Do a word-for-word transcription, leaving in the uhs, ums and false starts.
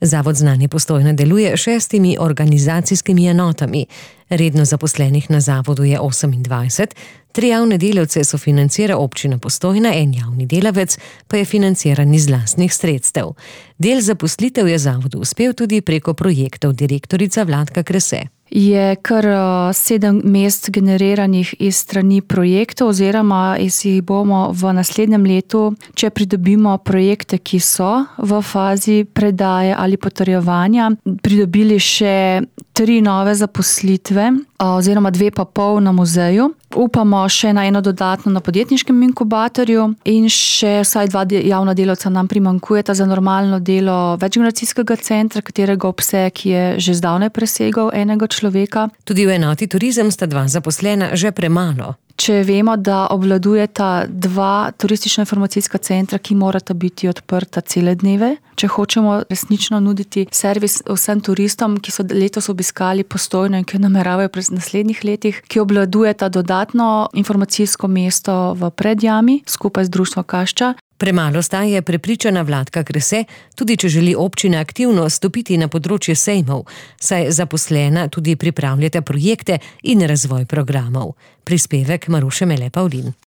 Zavod Znanje Postojna deluje šestimi organizacijskimi enotami. Redno zaposlenih na zavodu je osemindvajset, tri javne delavce sofinancira občina Postojna, en javni delavec pa je financiran iz lastnih sredstev. Del zaposlitev je zavodu uspel tudi preko projektov, direktorica Vladka Krese. Je kar sedem mest generiranih iz strani projektov oziroma jih bomo v naslednjem letu, če pridobimo projekte, ki so v fazi predaje ali potrjevanja, pridobili še tri nove zaposlitve oziroma dve pa pol na muzeju. Upamo še na eno dodatno na podjetniškem inkubatorju in še vsaj dva javna delavca nam primanjkujeta za normalno delo večgeneracijskega centra, katerega obseg je že zdavnaj presegal enega človeka. Tudi v enoti turizem sta dva zaposlena že premalo. Če vemo, da obvladujeta dva turistično-informacijska centra, ki morata biti odprta cele dneve, če hočemo resnično nuditi servis vsem turistom, ki so letos obiskali Postojno in ki nameravajo v naslednjih letih, ki obvladujeta dodatno informacijsko mesto v Predjami skupaj z društvom Kašča. Premalo sta, je prepričana Vladka Krese, tudi če želi občina aktivno stopiti na področje sejmov, saj zaposlena tudi pripravljata projekte in razvoj programov. Prispevek Maruše Mele Pavlin.